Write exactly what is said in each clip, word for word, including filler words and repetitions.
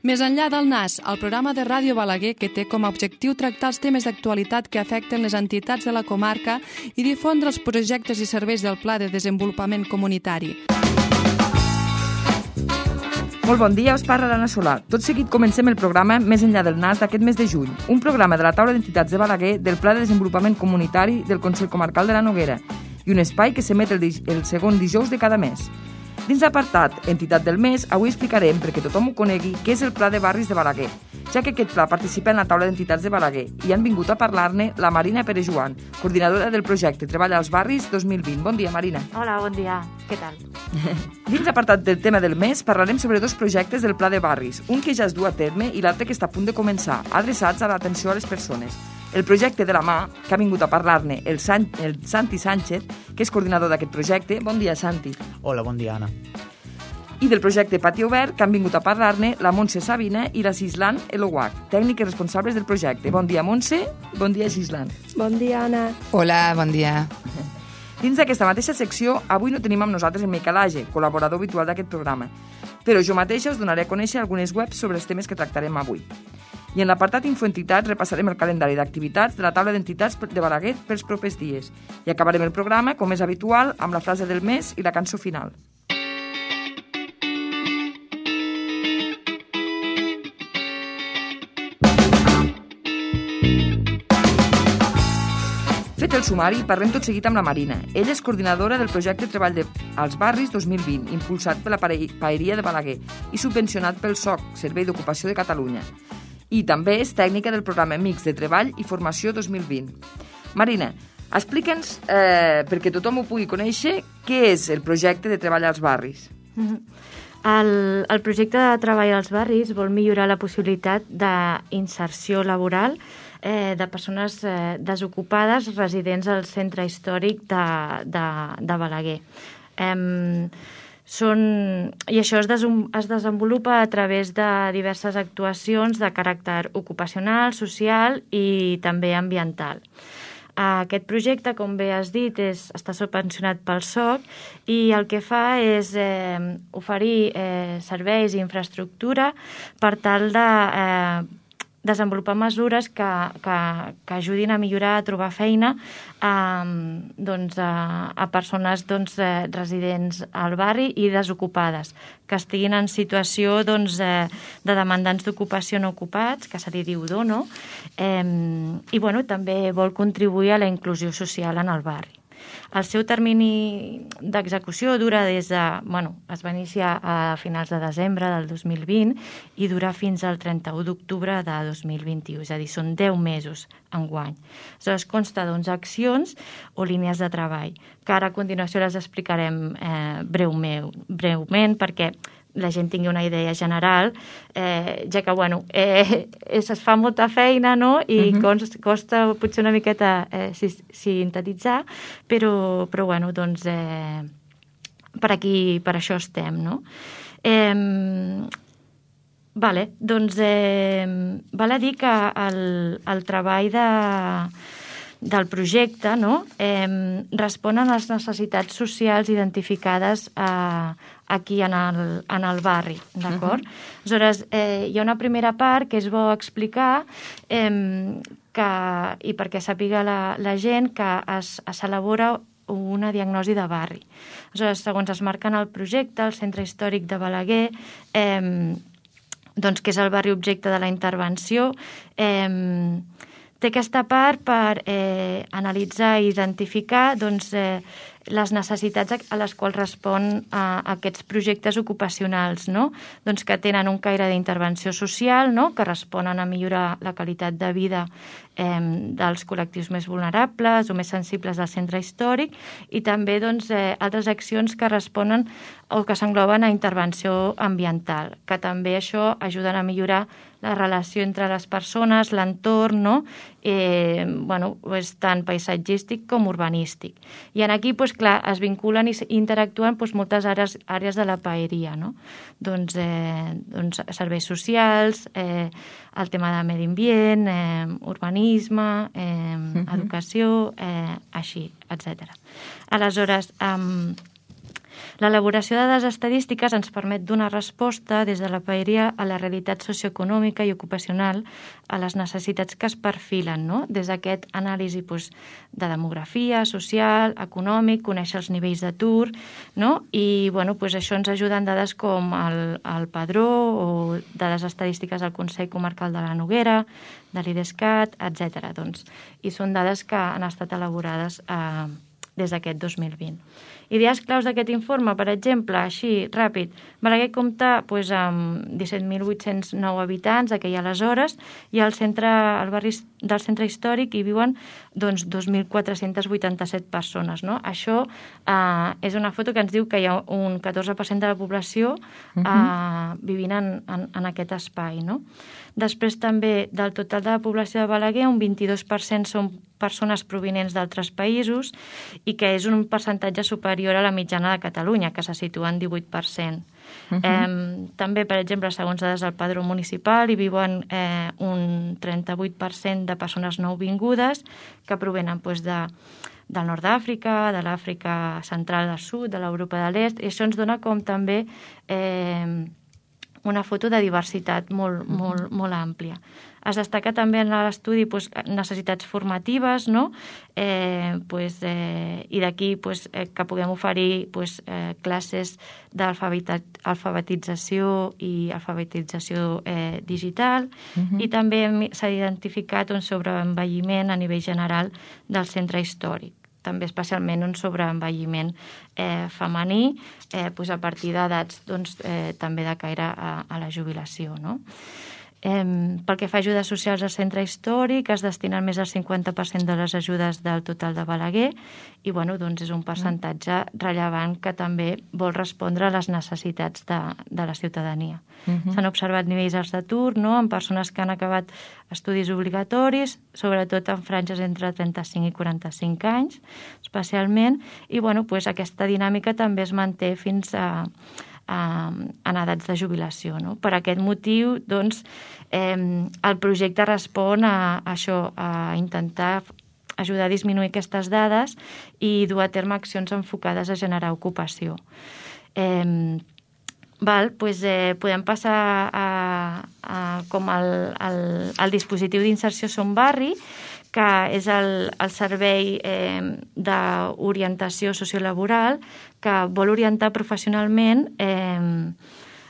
Més enllà del Nas, el programa de Ràdio Balaguer que té com a objectiu tractar els temes d'actualitat que afecten les entitats de la comarca i difondre els projectes i serveis del Pla de Desenvolupament Comunitari. Molt bon dia, us parla l'Anna Solà. Tot seguit comencem el programa Més enllà del Nas d'aquest mes de juny, un programa de la taula d'entitats de Balaguer del Pla de Desenvolupament Comunitari del Consell Comarcal de la Noguera i un espai que s'emet el, el segon dijous de cada mes. Dins l'apartat Entitat del Mes, avui explicarem, perquè tothom ho conegui, què és el Pla de Barris de Balaguer, ja que aquest pla participa en la taula d'entitats de Balaguer i han vingut a parlar-ne la Marina Pere Joan, coordinadora del projecte Treballa als Barris dos mil vint. Bon dia, Marina. Hola, bon dia. Què tal? Dins l'apartat del tema del mes parlarem sobre dos projectes del Pla de Barris, un que ja es du a terme i l'altre que està a punt de començar, adreçats a l'atenció a les persones. El projecte de la mà, que ha vingut a parlar-ne el, San, el Santi Sánchez, que és coordinador d'aquest projecte. Bon dia, Santi. Hola, bon dia, Anna. I del projecte Pati Obert, que han vingut a parlar-ne la Montse Sabina i la Cislan Eloguac, tècniques responsables del projecte. Bon dia, Montse. Bon dia, Cislan. Bon dia, Anna. Hola, bon dia. Dins d'aquesta mateixa secció, avui no tenim amb nosaltres en Miquel Age, col·laborador habitual d'aquest programa, però jo mateixa us donaré a conèixer algunes webs sobre els temes que tractarem avui. I en l'apartat Infoentitats repassarem el calendari d'activitats de la taula d'entitats de Balaguer pels propers dies. I acabarem el programa, com és habitual, amb la frase del mes i la cançó final. Fet el sumari, parlem tot seguit amb la Marina. Ella és coordinadora del projecte Treball de... als Barris dos mil vint, impulsat per la Paeria de Balaguer i subvencionat pel S O C, Servei d'Ocupació de Catalunya. I també és tècnica del programa Mix de Treball i Formació dos mil vint. Marina, explica'ns, eh, perquè tothom ho pugui conèixer, què és el projecte de Treball als Barris? El, el projecte de Treball als Barris vol millorar la possibilitat d'inserció laboral eh, de persones eh, desocupades residents al centre històric de, de, de Balaguer. Eh, Són, i això es, des, es desenvolupa a través de diverses actuacions de caràcter ocupacional, social i també ambiental. Aquest projecte, com bé has dit, és, està subvencionat pel S O C i el que fa és eh, oferir eh, serveis i infraestructura per tal de eh, desenvolupar mesures que, que, que ajudin a millorar, a trobar feina a, doncs, a, a persones doncs, eh, residents al barri i desocupades, que estiguin en situació doncs, eh, de demandants d'ocupació no ocupats, que se li diu dono, eh, i bueno, també vol contribuir a la inclusió social en el barri. El seu termini d'execució dura des de... Bueno, es va iniciar a finals de desembre del dos mil vint i dura fins al trenta-u d'octubre de dos mil vint-i-u, és a dir, són deu mesos enguany. Aleshores, consta d'onze accions o línies de treball, que ara a continuació les explicarem eh, breument, breument perquè la gent tingui una idea general, eh, ja que, bueno, eh, es fa molta feina, no?, i uh-huh. costa, costa potser una miqueta eh, sintetitzar, però, però bueno, doncs, eh, per aquí, per això estem, no? Eh, vale, doncs, eh, val a dir que el, el treball de... del projecte, no? eh, responen a les necessitats socials identificades eh, aquí en el, en el barri, d'acord? Uh-huh. Aleshores, eh, hi ha una primera part que és bo explicar eh, que, i perquè sàpiga la, la gent que es, s'elabora una diagnosi de barri. Aleshores, segons es marca en el projecte, el Centre Històric de Balaguer, eh, doncs, que és el barri objecte de la intervenció, eh, té aquesta part per eh, analitzar i identificar doncs, eh, les necessitats a les quals respon a aquests projectes ocupacionals, no? Doncs que tenen un caire d'intervenció social, no? Que responen a millorar la qualitat de vida eh, dels col·lectius més vulnerables o més sensibles del centre històric i també doncs, eh, altres accions que responen o que s'engloben a intervenció ambiental, que també això ajuden a millorar la relació entre les persones, l'entorn, no? eh, bueno, és tant paisatgístic com urbanístic. I en aquí, doncs, clar, es vinculen i interactuen doncs, moltes àrees, àrees de la paeria, no? Doncs, eh, doncs serveis socials, eh, el tema de medi ambient, eh, urbanisme, eh, uh-huh. educació, eh, així, etcètera. Aleshores, eh, L'elaboració de dades estadístiques ens permet donar resposta des de la paeria a la realitat socioeconòmica i ocupacional, a les necessitats que es perfilen, no? Des d'aquest anàlisi doncs, de demografia, social, econòmic, conèixer els nivells d'atur, no? I bueno, doncs això ens ajuda en dades com el, el Padró o dades estadístiques del Consell Comarcal de la Noguera, de l'IDESCAT, etcètera. Doncs, i són dades que han estat elaborades eh, des d'aquest dos mil vint. Idees claus d'aquest informe, per exemple, així, ràpid, Balaguer compta doncs, amb disset mil vuit-cents nou habitants aquell aleshores i al centre, al barri del centre històric hi viuen doncs, dos mil quatre-cents vuitanta-set persones. No? Això eh, és una foto que ens diu que hi ha un catorze per cent de la població eh, uh-huh. vivint en, en, en aquest espai. No? Després també del total de la població de Balaguer, un vint-i-dos per cent són persones provinents d'altres països i que és un percentatge superior a la mitjana de Catalunya, que se situa en divuit per cent. Uh-huh. eh, també, per exemple, segons dades del Padró Municipal, hi viuen eh, un trenta-vuit per cent de persones nouvingudes que provenen doncs, de, del nord d'Àfrica, de l'Àfrica central del sud, de l'Europa de l'est, i això ens dona com també eh, una foto de diversitat molt, uh-huh. molt, molt àmplia. Es destaca també en l'estudi pues, necessitats formatives, no? eh, pues, eh, i d'aquí pues, eh, que puguem oferir pues, eh, classes d'alfabetització i alfabetització eh, digital, uh-huh. i també s'ha identificat un sobreenvelliment a nivell general del centre històric, també especialment un sobreenvelliment eh, femení eh, pues, a partir d'edats doncs, eh, també de caire a, a la jubilació, no? Eh, pel que fa a ajudes socials al centre històric, es destinen més del cinquanta per cent de les ajudes del total de Balaguer i bueno, doncs és un percentatge rellevant que també vol respondre a les necessitats de, de la ciutadania. Uh-huh. S'han observat nivells alts d'atur, no?, en persones que han acabat estudis obligatoris, sobretot en franges entre trenta-cinc i quaranta-cinc anys, especialment, i bueno, doncs aquesta dinàmica també es manté fins a en edats de jubilació. No? Per aquest motiu, doncs, eh, el projecte respon a, a això, a intentar ajudar a disminuir aquestes dades i dur a terme accions enfocades a generar ocupació. Eh, val, doncs, eh, podem passar a, a com el, el, el dispositiu d'inserció Som Barri, que és el, el servei eh, d'orientació sociolaboral que vol orientar professionalment eh,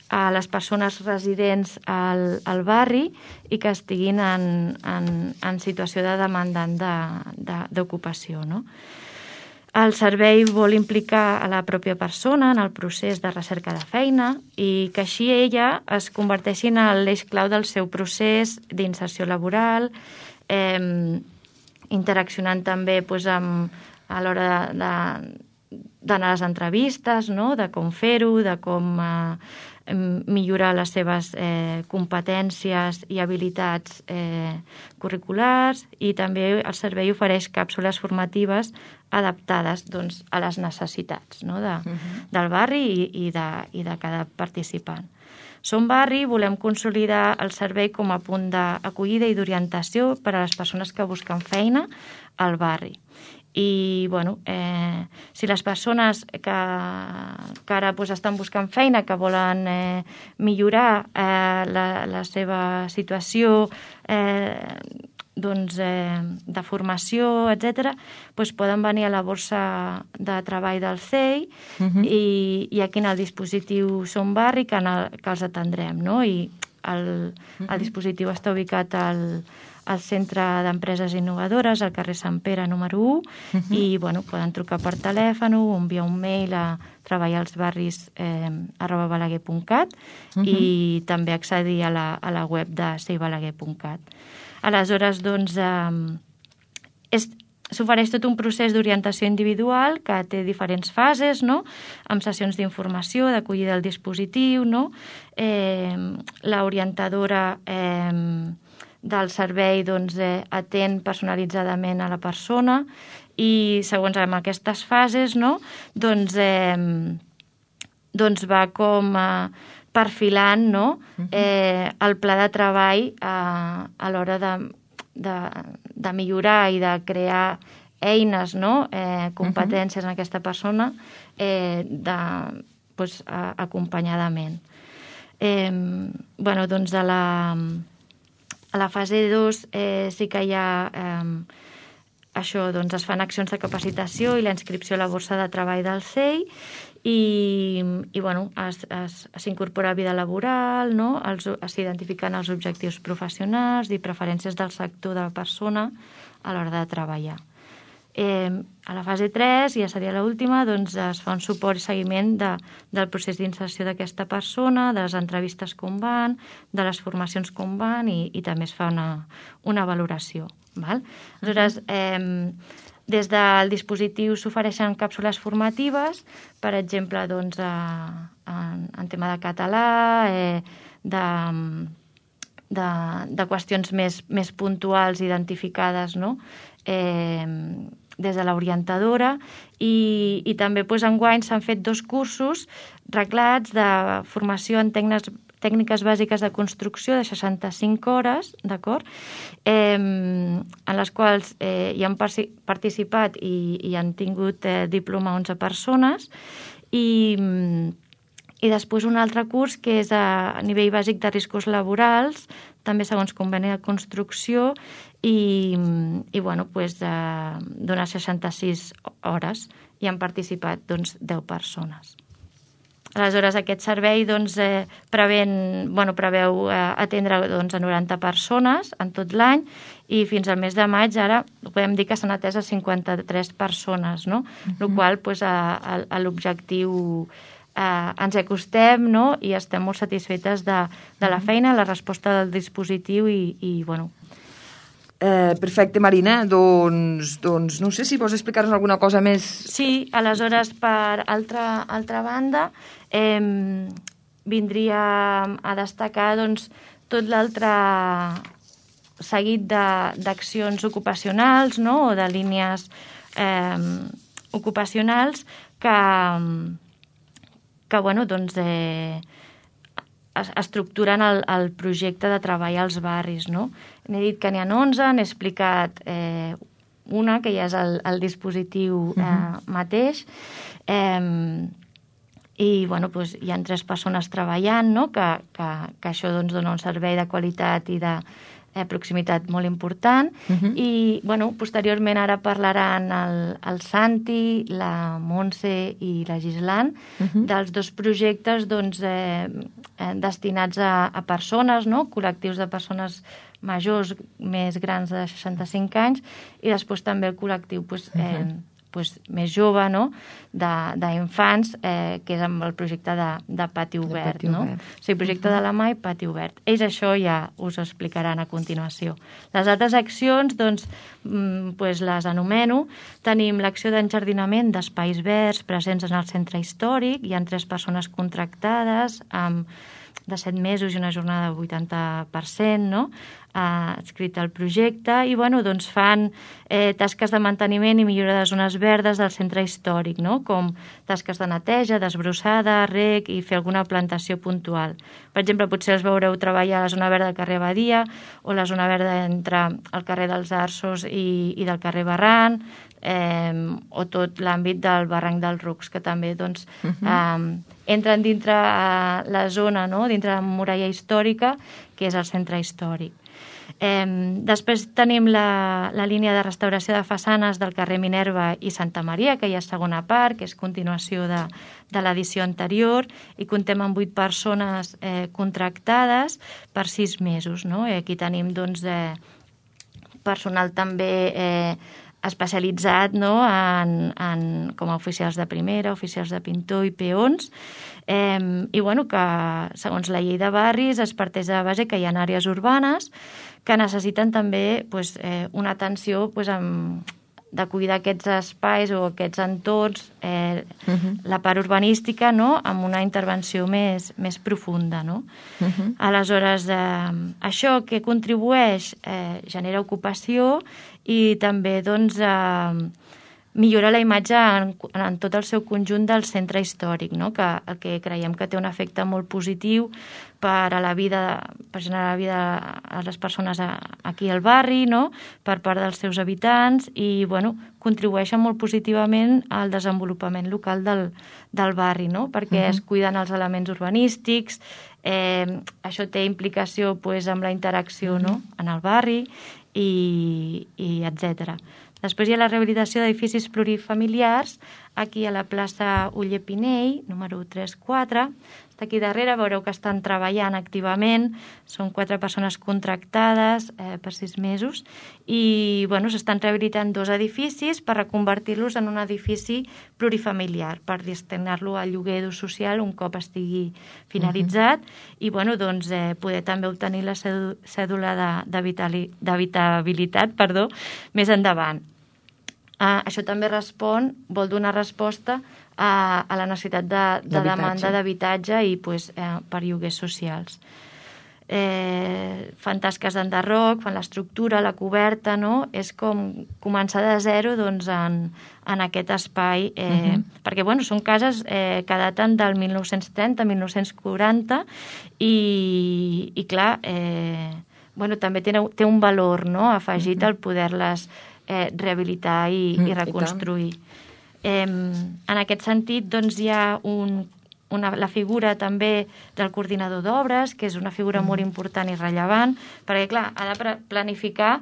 a les persones residents al, al barri i que estiguin en, en, en situació de demandant d'ocupació. De, de, no? El servei vol implicar a la pròpia persona en el procés de recerca de feina i que així ella es converteixi en l'eix clau del seu procés d'inserció laboral, eh, interaccionant també doncs, amb, a l'hora d'anar a les entrevistes, no? De com fer-ho, de com eh, millorar les seves eh, competències i habilitats eh, curriculars, i també el servei ofereix càpsules formatives adaptades doncs, a les necessitats, no? de, uh-huh. del barri i, i, de, i de cada participant. Som Barri volem consolidar el servei com a punt d'acollida i d'orientació per a les persones que busquen feina al barri. I, bueno, eh, si les persones que, que ara pues, estan buscant feina, que volen eh, millorar eh, la, la seva situació eh, doncs, eh, de formació, etcètera, doncs poden venir a la borsa de treball del C E I uh-huh. i, i aquí en el dispositiu Som Barri que, el, que els atendrem, no? I el, uh-huh. el dispositiu està ubicat al, al Centre d'Empreses Innovadores, al carrer Sant Pere número u, uh-huh. i bueno, poden trucar per telèfon o enviar un mail a treballalsbarris eh, arroba balaguer punt cat uh-huh. i també accedir a la, a la web de seibalaguer punt cat. Aleshores, doncs, eh, s'ofereix tot un procés d'orientació individual que té diferents fases, no? Amb sessions d'informació, d'acollida del dispositiu, no? Eh, l'orientadora eh, del servei doncs, eh, atén personalitzadament a la persona i, segons amb aquestes fases, no? doncs, eh, doncs va com a perfilant, no? eh, el pla de treball a, a l'hora de, de, de millorar i de crear eines, no? eh, competències uh-huh. en aquesta persona eh, de, pues, a, acompanyadament. Eh, bueno, doncs a la, a la fase dos eh, sí que hi ha... Eh, això, doncs es fan accions de capacitació i la inscripció a la borsa de treball del C E I i, i bueno, s'incorpora vida laboral, no? S'identifiquen els objectius professionals i preferències del sector de la persona a l'hora de treballar. Eh, a la fase tres, ja seria l'última, doncs es fa un suport i seguiment de, del procés d'inserció d'aquesta persona, de les entrevistes com van, de les formacions com van i, i també es fa una, una valoració. Val? Aleshores, eh, des del dispositiu s'ofereixen càpsules formatives, per exemple, doncs, a, en, en tema de català, eh, de, de, de qüestions més, més puntuals identificades, no? eh, des de l'orientadora i, i també doncs, enguany s'han fet dos cursos reglats de formació en tècniques tècniques bàsiques de construcció de seixanta-cinc hores, d'acord? Eh, en les quals eh, hi han participat i, i han tingut eh, diploma onze persones i, i després un altre curs que és a, a nivell bàsic de riscos laborals, també segons conveni de construcció i, i bueno, pues, eh, d'unes seixanta-sis hores i han participat doncs, deu persones. Aleshores, aquest servei doncs, eh, preven, bueno, preveu eh, atendre doncs, a noranta persones en tot l'any i fins al mes de maig ara podem dir que s'han atès a cinquanta-tres persones, no? Uh-huh. El qual pues, a, a, a l'objectiu eh, ens acostem, no? I estem molt satisfetes de, de la feina, la resposta del dispositiu i, i bueno... Eh, perfecte, Marina. Doncs, doncs no sé si vols explicar-nos alguna cosa més. Sí, aleshores, per altra, altra banda, eh, vindria a destacar doncs, tot l'altre seguit d'accions ocupacionals, no? O de línies eh, ocupacionals que, que bueno, doncs, eh, estructuren el, el projecte de treball als barris, no? N'he dit que n'hi ha onze, n'he explicat eh, una, que ja és el, el dispositiu eh, uh-huh. mateix, eh, i bueno, doncs, hi ha tres persones treballant, no? que, que, que això doncs, dona un servei de qualitat i de eh, proximitat molt important, uh-huh. i bueno, posteriorment ara parlaran el, el Santi, la Montse i la Gislan, uh-huh. dels dos projectes doncs, eh, eh, destinats a, a persones, no? Col·lectius de persones majors més grans de seixanta-cinc anys i després també el col·lectiu pues, eh, uh-huh. pues, més jove, no? d'infants, eh, que és amb el projecte de, de Pati Obert. De pati no? obert. O sigui, projecte uh-huh. de la M A I, Pati Obert. Ells això ja us ho explicaran a continuació. Les altres accions, doncs, pues les anomeno. Tenim l'acció d'enjardinament d'espais verds presents en el centre històric. Hi ha tres persones contractades amb de set mesos i una jornada del vuitanta per cent, no? eh, adscrit al projecte, i bueno, doncs fan eh, tasques de manteniment i millora de zones verdes del centre històric, no? Com tasques de neteja, desbrossada, rec i fer alguna plantació puntual. Per exemple, potser els veureu treballar a la zona verda del carrer Badia o la zona verda entre el carrer dels Arços i, i del carrer Barran, eh, o tot l'àmbit del barranc dels Rucs, que també doncs, uh-huh. eh, entren dintre eh, la zona, no? Dintre la muralla històrica, que és el centre històric. Eh, després tenim la, la línia de restauració de façanes del carrer Minerva i Santa Maria, que hi ha segona part, que és continuació de, de l'edició anterior, i comptem amb vuit persones eh, contractades per sis mesos. No? I aquí tenim doncs, eh, personal també eh, especialitzat, no? en, en, com a oficials de primera, oficials de pintor i peons, eh, i bueno, que segons la llei de barris es parteix de la base que hi ha àrees urbanes que necessiten també pues, eh, una atenció pues, amb, de cuidar aquests espais o aquests entorns, eh, uh-huh. la part urbanística, no? Amb una intervenció més, més profunda. No? Uh-huh. Aleshores, eh, això que contribueix eh, genera ocupació i també doncs, eh, millora la imatge en, en tot el seu conjunt del centre històric, no? que, que creiem que té un efecte molt positiu per a la vida, per generar la vida a les persones a, aquí al barri, no? Per part dels seus habitants i bueno, contribueixen molt positivament al desenvolupament local del, del barri, no? Perquè uh-huh. es cuiden els elements urbanístics, eh, això té implicació pues, amb la interacció uh-huh. no? en el barri i, i etcètera. Després hi ha la rehabilitació d'edificis plurifamiliars, aquí a la plaça Oller Pinell, número tres quatre. Està aquí darrere, veureu que estan treballant activament, són quatre persones contractades eh, per sis mesos, i bueno, s'estan rehabilitant dos edificis per reconvertir-los en un edifici plurifamiliar, per destinar-lo al lloguer d'ús social un cop estigui finalitzat, uh-huh. i bueno, doncs, eh, poder també obtenir la cèdula d'habitabilitat perdó, més endavant. Uh, això també respon, vol donar resposta a, a la necessitat de, de demanda d'habitatge i pues, eh, per lloguers socials. Eh, fan tasques d'enderroc, fan l'estructura, la coberta, no? És com començar de zero doncs, en, en aquest espai, eh, uh-huh. perquè bueno, són cases eh, que daten del mil nou-cents trenta a mil nou-cents quaranta i, i clar, eh, bueno, també té, té un valor no? afegit uh-huh. al poder-les Eh, rehabilitar i, mm, i reconstruir. I eh, en aquest sentit, doncs, hi ha un, una, la figura també del coordinador d'obres, que és una figura mm. molt important i rellevant, perquè, clar, ha de planificar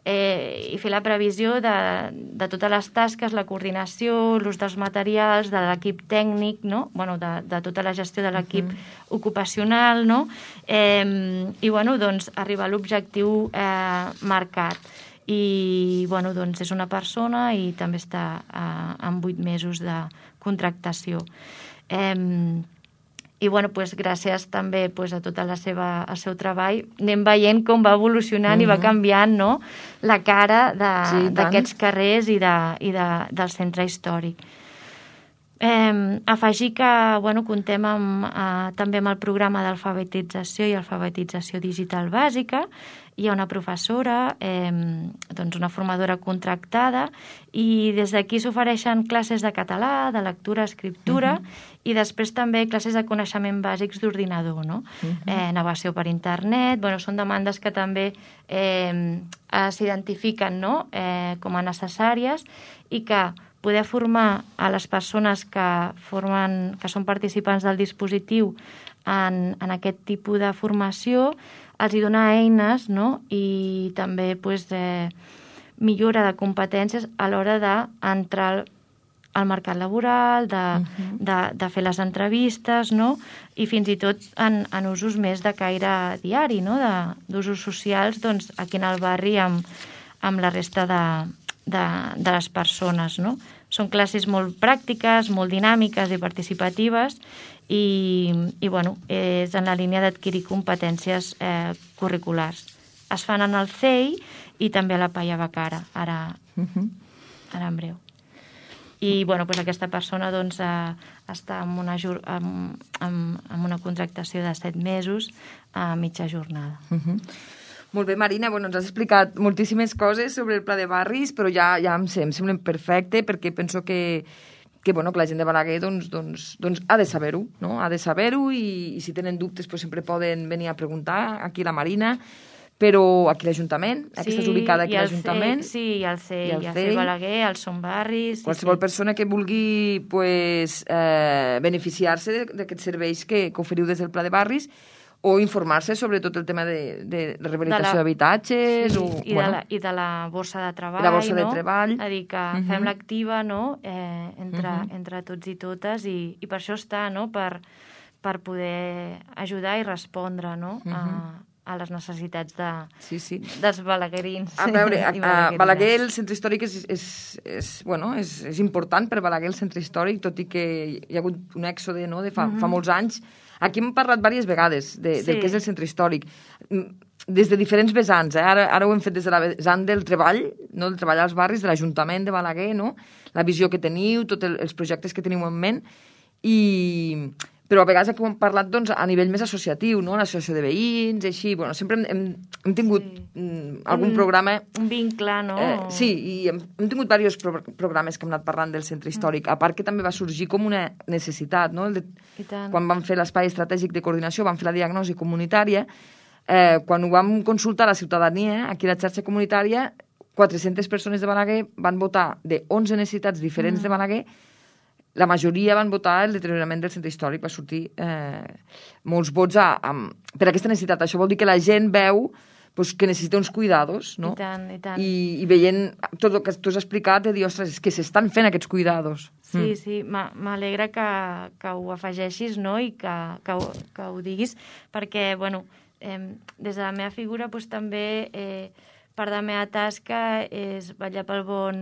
eh, i fer la previsió de, de totes les tasques, la coordinació, l'ús dels materials, de l'equip tècnic, no? Bueno, de, de tota la gestió de l'equip mm. ocupacional, no? Eh, I, bueno, doncs, arribar a l'objectiu eh, marcat. I bueno, doncs és una persona i també està eh, amb vuit mesos de contractació. Eh, I bueno, pues, gràcies també pues, a tot la seva, el seu treball anem veient com va evolucionant uh-huh. i va canviant no? la cara d'aquests sí, carrers i, de, i de, del centre històric. Eh, afegir que bueno, comptem amb, eh, també amb el programa d'alfabetització i alfabetització digital bàsica. Hi ha una professora, eh, doncs una formadora contractada i des d'aquí s'ofereixen classes de català, de lectura, escriptura uh-huh. i després també classes de coneixement bàsics d'ordinador, no? Uh-huh. eh, navegació per internet, bueno, són demandes que també eh, s'identifiquen no? eh, com a necessàries i que poder formar a les persones que, formen, que són participants del dispositiu en, en aquest tipus de formació, els hi dona eines no? i també pues, eh, millora de competències a l'hora d'entrar al, al mercat laboral, de, uh-huh. de, de fer les entrevistes no? i fins i tot en, en usos més de caire diari, no? d'usos socials doncs, aquí en el barri amb, amb la resta de, de, de les persones. No? Són classes molt pràctiques, molt dinàmiques i participatives i, i bueno, és en la línia d'adquirir competències eh, curriculars. Es fan en el C E I i també a la Palla Bacara, ara, uh-huh. ara en breu. I bueno, doncs aquesta persona doncs, eh, està amb una, amb, amb, amb una contractació de set mesos a mitja jornada. Uh-huh. Molt bé, Marina, bueno, ens has explicat moltíssimes coses sobre el pla de barris, però ja, ja em, em sembla perfecte perquè penso que, que, bueno, que la gent de Balaguer doncs, doncs, doncs ha de saber-ho, no? Ha de saber-ho i, i si tenen dubtes pues, sempre poden venir a preguntar aquí a la Marina, però aquí l'Ajuntament, sí, aquesta és ubicada aquí a l'Ajuntament. Sí, i al C E I, al C E I Balaguer, al Som Barris... Sí, qualsevol sí. persona que vulgui pues, eh, beneficiar-se d'aquests serveis que, que oferiu des del pla de barris o informar-se sobre tot el tema de, de rehabilitació d'habitatges. Sí, o, i, bueno, de la, i de la borsa de treball. La borsa no? de treball. A dir que uh-huh. fem l'activa no? eh, entre, uh-huh. entre tots i totes i, i per això està, no? per, per poder ajudar i respondre no? uh-huh. a, a les necessitats de, sí, sí. dels balaguerins. A veure, a, a Balaguer el centre històric és, és, és, bueno, és, és important per Balaguer el centre històric, tot i que hi ha hagut un èxode no? de fa, uh-huh. fa molts anys. Aquí hem parlat diverses vegades de, sí. del que és el centre històric, des de diferents vessants. Eh? Ara, ara ho hem fet des de la vessant del treball, no? del treball als barris, de l'Ajuntament de Balaguer, no? La visió que teniu, tots el, els projectes que teniu en ment, i... però a vegades hem parlat doncs, a nivell més associatiu, no? L'associació de veïns, així, bueno, sempre hem, hem, hem tingut sí. algun un, programa... Un vincle, no? Eh, sí, i hem, hem tingut diversos pro programes que hem anat parlant del centre històric, mm. a part que també va sorgir com una necessitat, no? El de, quan vam fer l'espai estratègic de coordinació, vam fer la diagnosi comunitària, eh, quan ho vam consultar a la ciutadania, aquí a la xarxa comunitària, quatre-centes persones de Balaguer van votar de onze necessitats diferents mm. de Balaguer. La majoria van votar el deteriorament del centre històric, va sortir eh, molts vots a, a, per aquesta necessitat. Això vol dir que la gent veu pues, que necessita uns cuidados, no? I tant, i tant. I, i veient tot el que tu has explicat, de dir, ostres, és que s'estan fent aquests cuidados. Sí, mm. sí, m'alegra que, que ho afegeixis, no?, i que, que, ho, que ho diguis, perquè, bueno, eh, des de la meva figura, pues, també, eh, part de la meva tasca és vetllar pel bon...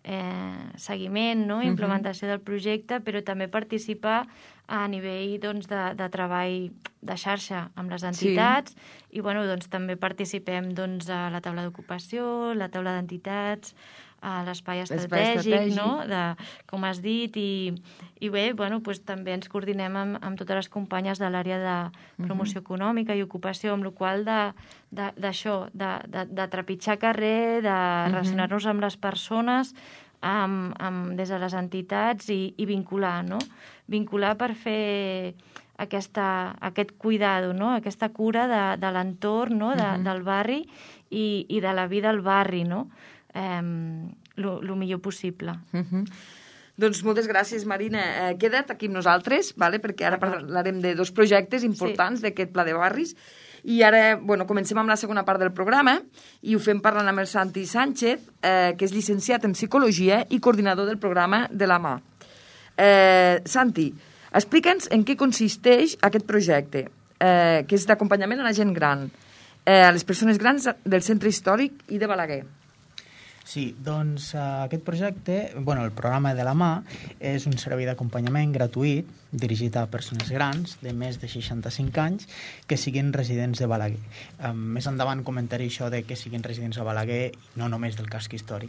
Eh, seguiment, no? Implementació del projecte, però també participar a nivell doncs, de, de treball de xarxa amb les entitats sí. i bueno, doncs, també participem doncs, a la taula d'ocupació, la taula d'entitats, a l'espai estratègic, estratègic, no? De, com has dit, i, i bé, bueno, doncs, també ens coordinem amb, amb totes les companyes de l'àrea de promoció uh-huh. econòmica i ocupació, amb la qual d'això, de, de, de, de trepitjar carrer, de uh-huh. relacionar-nos amb les persones, amb, amb, des de les entitats i, i vincular, no? Vincular per fer aquesta, aquest cuidado, no? Aquesta cura de, de l'entorn, no? de, uh-huh. del barri i, i de la vida al barri, no? El millor possible. Uh-huh. Doncs moltes gràcies, Marina. Eh, queda't aquí amb nosaltres, vale? Perquè ara parlarem de dos projectes importants sí. d'aquest Pla de Barris. I ara, bueno, comencem amb la segona part del programa i ho fem parlant amb el Santi Sánchez, eh, que és llicenciat en Psicologia i coordinador del programa de la Mà. Eh, Santi, explica'ns en què consisteix aquest projecte, eh, que és d'acompanyament a la gent gran, eh, a les persones grans del centre històric i de Balaguer. Sí, doncs uh, aquest projecte, bueno, el programa de la Mà, és un servei d'acompanyament gratuït dirigit a persones grans de més de seixanta-cinc anys que siguin residents de Balaguer. Um, més endavant comentaré això de que siguin residents a Balaguer, no només del casc històric.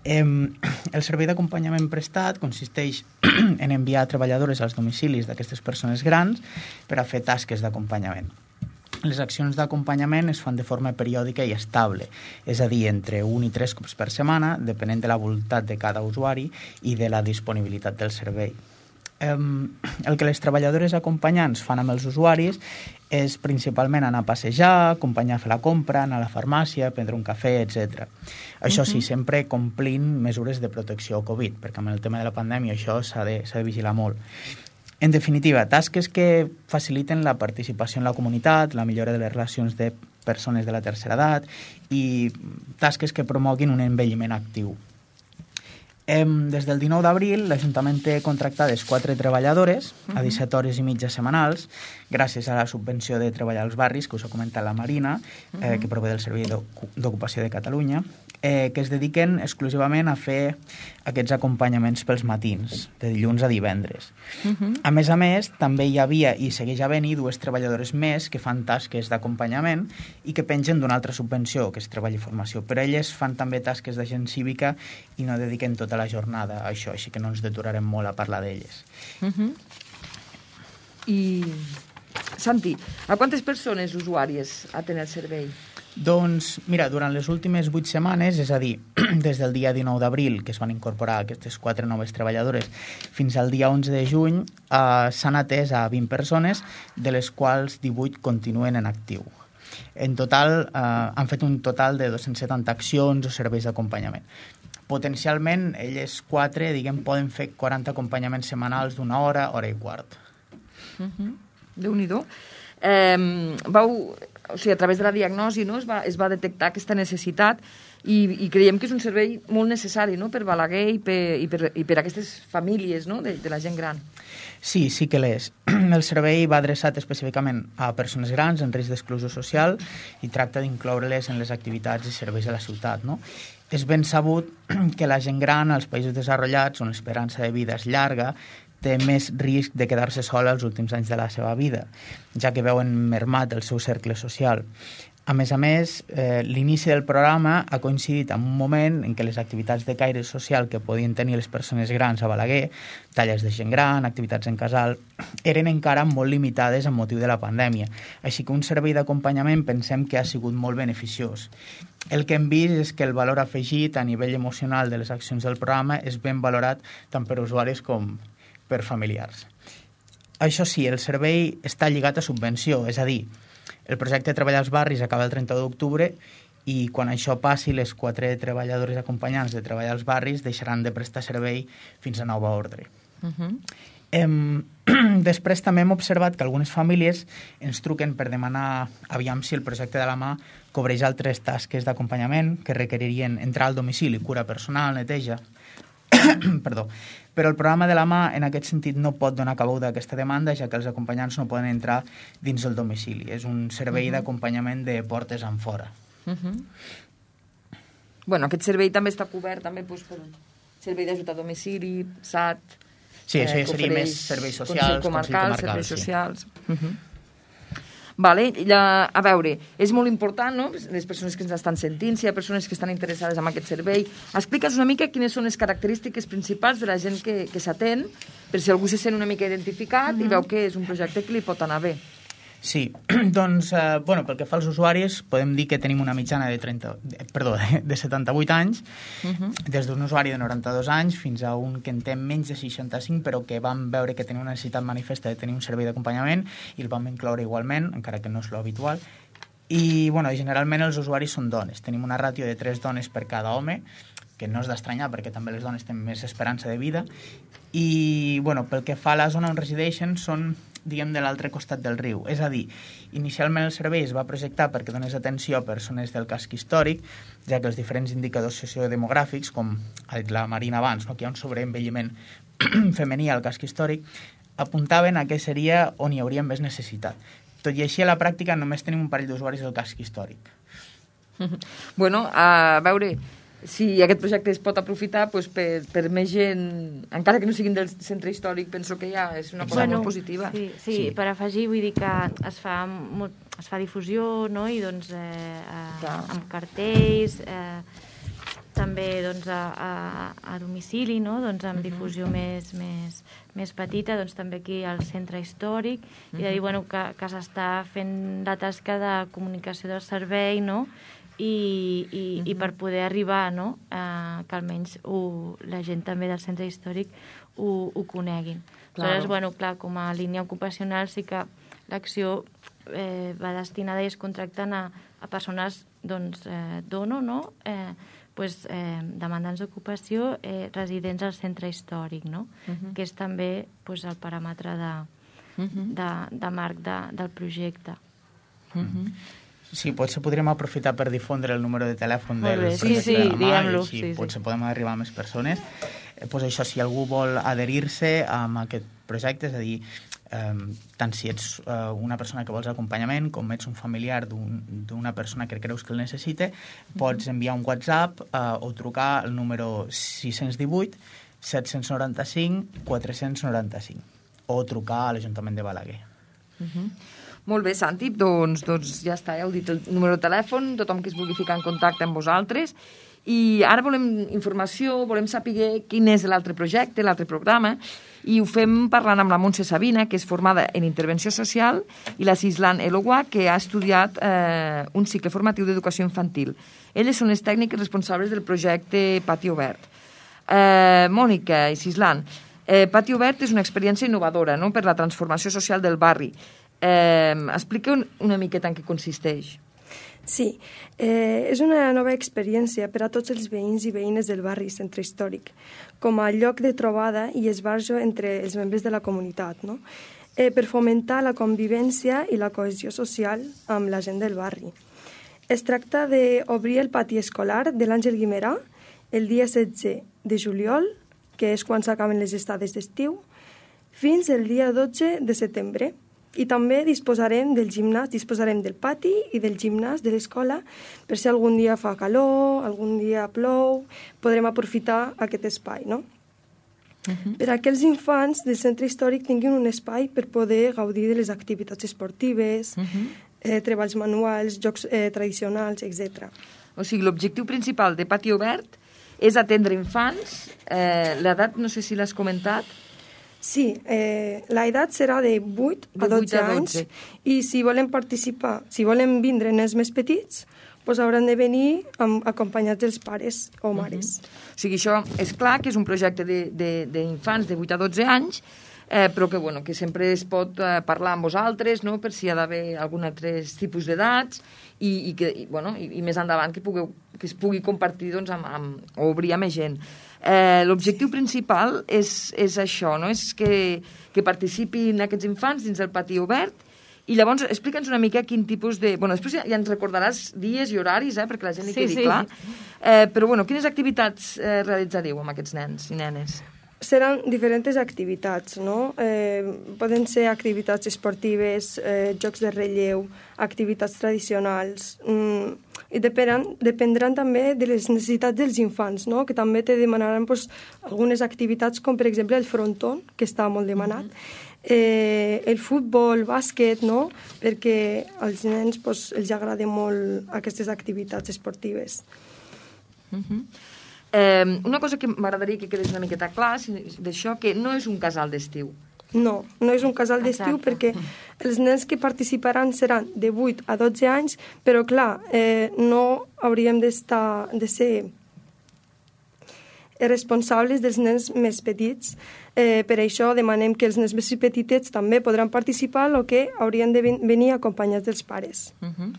Um, el servei d'acompanyament prestat consisteix en enviar treballadores als domicilis d'aquestes persones grans per a fer tasques d'acompanyament. Les accions d'acompanyament es fan de forma periòdica i estable, és a dir, entre un i tres cops per setmana, depenent de la voluntat de cada usuari i de la disponibilitat del servei. El que les treballadores acompanyants fan amb els usuaris és principalment anar a passejar, acompanyar a fer la compra, anar a la farmàcia, prendre un cafè, etcètera. Això sí, sempre complint mesures de protecció Covid, perquè amb el tema de la pandèmia això s'ha de, s'ha de vigilar molt. En definitiva, tasques que faciliten la participació en la comunitat, la millora de les relacions de persones de la tercera edat i tasques que promoguin un envelliment actiu. Des del dinou d'abril, l'Ajuntament té contractades quatre treballadores a disset hores i mitja setmanals, gràcies a la subvenció de Treballar als Barris, que us ha comentat la Marina, eh, que prové del Servei d'Ocupació de Catalunya, eh, que es dediquen exclusivament a fer aquests acompanyaments pels matins, de dilluns a divendres. Uh-huh. A més a més, també hi havia i segueix havent-hi dues treballadores més que fan tasques d'acompanyament i que pengen d'una altra subvenció, que és Treball i Formació. Però elles fan també tasques d'agent cívica i no dediquen tota la jornada a això, així que no ens deturarem molt a parlar d'elles. Uh-huh. I, Santi, a quantes persones usuàries atén el servei? Doncs, mira, durant les últimes vuit setmanes, és a dir, des del dia dinou d'abril, que es van incorporar aquestes quatre noves treballadores, fins al dia onze de juny, eh, s'han atès a vint persones, de les quals divuit continuen en actiu. En total, eh, han fet un total de dos-cents setanta accions o serveis d'acompanyament. Potencialment, elles quatre, diguem, poden fer quaranta acompanyaments setmanals d'una hora, hora i quart. Uh-huh. Déu-n'hi-do. Eh, vau, o sigui, a través de la diagnosi, no, es va, es va detectar aquesta necessitat i, i creiem que és un servei molt necessari, no?, per Balaguer i per, i per, i per aquestes famílies, no?, de, de la gent gran. Sí, sí que l'és. El servei va adreçat específicament a persones grans en risc d'exclusió social i tracta d'incloure-les en les activitats i serveis de la ciutat, no? És ben sabut que la gent gran als països desenvolupats, on l'esperança de vida és llarga, té més risc de quedar-se sola els últims anys de la seva vida, ja que veuen mermat el seu cercle social. A més a més, eh, l'inici del programa ha coincidit en un moment en què les activitats de caire social que podien tenir les persones grans a Balaguer, talles de gent gran, activitats en casal, eren encara molt limitades amb motiu de la pandèmia. Així que un servei d'acompanyament pensem que ha sigut molt beneficiós. El que hem vist és que el valor afegit a nivell emocional de les accions del programa és ben valorat tant per usuaris com per familiars. Això sí, el servei està lligat a subvenció, és a dir, el projecte Treballar als Barris acaba el trenta d'octubre i quan això passi, les quatre treballadores acompanyants de Treballar als Barris deixaran de prestar servei fins a nova ordre. Uh-huh. Em, després també hem observat que algunes famílies ens truquen per demanar aviam si el projecte de la mà cobreix altres tasques d'acompanyament que requeririen entrar al domicili, cura personal, neteja... Perdó. Però el programa de la mà en aquest sentit no pot donar cabuda a aquesta demanda, ja que els acompanyants no poden entrar dins del domicili. És un servei uh-huh. d'acompanyament de portes en fora. Uh-huh. Bueno, aquest servei també està cobert també doncs, per servei d'ajut a domicili, S A T... Sí, això ja seria més serveis socials, Consell Comarcal, Consell Comarcal serveis sí. socials... Uh-huh. Vale, la, a veure, és molt important, no?, les persones que ens estan sentint, si hi ha persones que estan interessades en aquest servei. Explica'ns una mica quines són les característiques principals de la gent que, que s'atén, per si algú se sent una mica identificat mm-hmm. i veu que és un projecte que li pot anar bé. Sí, doncs, eh, bueno, pel que fa als usuaris, podem dir que tenim una mitjana de, trenta, de, perdó, de, de setanta-vuit anys, uh-huh. des d'un usuari de noranta-dos anys fins a un que en té menys de seixanta-cinc, però que vam veure que tenia una necessitat manifesta de tenir un servei d'acompanyament i el vam incloure igualment, encara que no és l'habitual. I, bueno, generalment els usuaris són dones. Tenim una ràtio de tres dones per cada home, que no és d'estranyar perquè també les dones tenen més esperança de vida. I, bueno, pel que fa a la zona on resideixen, són diguem, de l'altre costat del riu. És a dir, inicialment el servei es va projectar perquè donés atenció a persones del casc històric, ja que els diferents indicadors sociodemogràfics, com ha dit la Marina abans, no, que hi ha un sobreenvelliment femení al casc històric, apuntaven a què seria on hi hauria més necessitat. Tot i així, a la pràctica, només tenim un parell d'usuaris del casc històric. Bueno, a veure... si aquest projecte es pot aprofitar doncs, per, per més gent, encara que no siguin del centre històric, penso que ja és una cosa bueno, molt positiva. Sí, sí, sí, per afegir, vull dir que es fa, molt, es fa difusió, no?, i doncs eh, eh, amb cartells, eh, també doncs, a, a, a domicili, no?, doncs, amb uh-huh. difusió més, més, més petita, doncs, també aquí al centre històric, uh-huh. i de dir bueno, que, que s'està fent la tasca de comunicació del servei, no?, I, i, uh-huh. i per poder arribar, no?, eh, que almenys ho, la gent també del centre històric ho, ho coneguin. Claro. Aleshores, bueno, clar, com a línia ocupacional sí que l'acció eh, va destinada i es contracten a, a persones, doncs, eh, dono, no?, eh, pues, eh, demandants d'ocupació, eh, residents al centre històric, no?, uh-huh. que és també pues, el paràmetre de, uh-huh. de, de marc de, del projecte. Uh-huh. Sí, potser podríem aprofitar per difondre el número de telèfon del projecte sí, sí, de la mà i sí, sí. potser podem arribar a més persones. Eh, pues això, si algú vol adherir-se a aquest projecte, és a dir, eh, tant si ets eh, una persona que vols acompanyament com ets un familiar d'una un, persona que creus que el necessita, pots enviar un WhatsApp eh, o trucar al número sis cents divuit set-cents noranta-cinc quatre-cents noranta-cinc o trucar a l'Ajuntament de Balaguer. Uh-huh. Molt bé, Santi, doncs, doncs ja està, ja heu dit el número de telèfon, tothom que es vulgui ficar en contacte amb vosaltres, i ara volem informació, volem saber quin és l'altre projecte, l'altre programa, i ho fem parlant amb la Montse Sabina, que és formada en Intervenció Social, i la Cislan Eloua, que ha estudiat eh, un cicle formatiu d'educació infantil. Elles són les tècniques responsables del projecte Pati Obert. Eh, Mònica i Cislan, eh, Pati Obert és una experiència innovadora, no?, per la transformació social del barri. Eh, explica una miqueta en què consisteix. Sí, eh, és una nova experiència per a tots els veïns i veïnes del barri Centre Històric, com a lloc de trobada i esbarjo entre els membres de la comunitat, no? eh, per fomentar la convivència i la cohesió social amb la gent del barri. Es tracta d'obrir el pati escolar de l'Àngel Guimerà el dia setze de juliol, que és quan s'acaben les estades d'estiu, fins el dia dotze de setembre. I també disposarem del gimnàs, disposarem del pati i del gimnàs de l'escola per si algun dia fa calor, algun dia plou, podrem aprofitar aquest espai, no? Uh-huh. Per a que els infants del centre històric tinguin un espai per poder gaudir de les activitats esportives, uh-huh. eh, treballs manuals, jocs eh, tradicionals, etcètera. O sigui, l'objectiu principal de Pati Obert és atendre infants. Eh, l'edat, no sé si l'has comentat. Sí, eh, l'edat serà de vuit a dotze anys i si volen participar, si volen vindre nens més petits, doncs hauran de venir amb, acompanyats dels pares o mares. Uh-huh. O sigui, això és clar que és un projecte d'infants de, de, de vuit a dotze anys, eh, però que, bueno, que sempre es pot eh, parlar amb vosaltres, no?, per si hi ha d'haver algun altre tipus d'edats i, i, que, i, bueno, i, i més endavant que, pugueu, que es pugui compartir doncs, amb, amb, o obrir a més gent. Eh, L'objectiu principal és, és això, no?, és que, que participin aquests infants dins del pati obert. I llavors, explica'ns una mica quin tipus de... Bueno, després ja, ja ens recordaràs dies i horaris, eh, perquè la gent hi sí, quedi sí. clar. Eh, però, bueno, quines activitats eh, realitzareu amb aquests nens i nenes? Seran diferents activitats, no? Eh, poden ser activitats esportives, eh, jocs de relleu, activitats tradicionals... Mm, i dependran, dependran també de les necessitats dels infants, no?, que també te demanaran pues, algunes activitats com, per exemple, el fronton, que està molt demanat, mm-hmm. eh, el futbol, bàsquet, no?, perquè als nens pues, els agrada molt aquestes activitats esportives. Mm-hmm. eh, una cosa que m'agradaria que quedés una miqueta clar d'això, que no és un casal d'estiu. No, no és un casal d'estiu perquè els nens que participaran seran de vuit a dotze anys, però clar, eh, no hauríem d'estar, de ser responsables dels nens més petits. Eh, per això demanem que els nens més petitets també podran participar, el que haurien de ven venir acompanyats dels pares. Uh-huh.